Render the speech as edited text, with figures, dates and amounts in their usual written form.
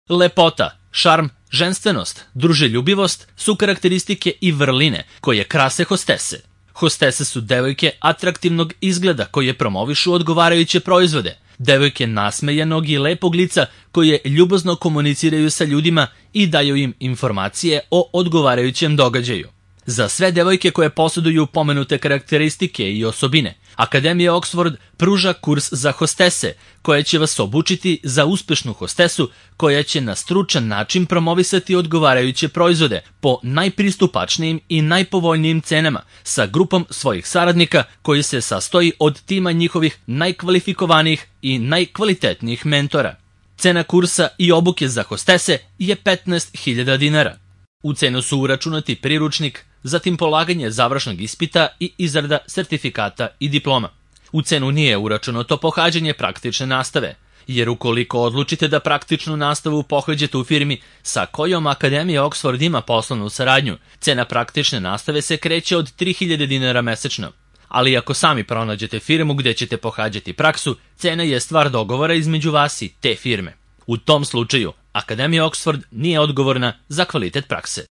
Lepota, šarm, ženstvenost, druželjubivost su karakteristike i vrline koje krase hostese. Hostese su devojke atraktivnog izgleda koje promovišu odgovarajuće proizvode, devojke nasmejanog i lepog lica koje ljubazno komuniciraju sa ljudima i daju im informacije o odgovarajućem događaju. Za sve devojke koje posjeduju pomenute karakteristike i osobine, Akademija Oxford pruža kurs za hostese, koja će vas obučiti za uspešnu hostesu koja će na stručan način promovisati odgovarajuće proizvode po najpristupačnijim i najpovoljnijim cenama sa grupom svojih saradnika koji se sastoji od tima njihovih najkvalifikovanijih i najkvalitetnijih mentora. Cena kursa i obuke za hostese je 15.000 dinara. U cenu su uračunati priručnik, zatim polaganje završnog ispita i izrada sertifikata i diploma. U cenu nije uračunato pohađanje praktične nastave, jer ukoliko odlučite da praktičnu nastavu pohađate u firmi sa kojom Akademija Oxford ima poslovnu saradnju, cena praktične nastave se kreće od 3.000 dinara mesečno. Ali ako sami pronađete firmu gde ćete pohađati praksu, cena je stvar dogovora između vas i te firme. U tom slučaju, Akademija Oxford nije odgovorna za kvalitet prakse.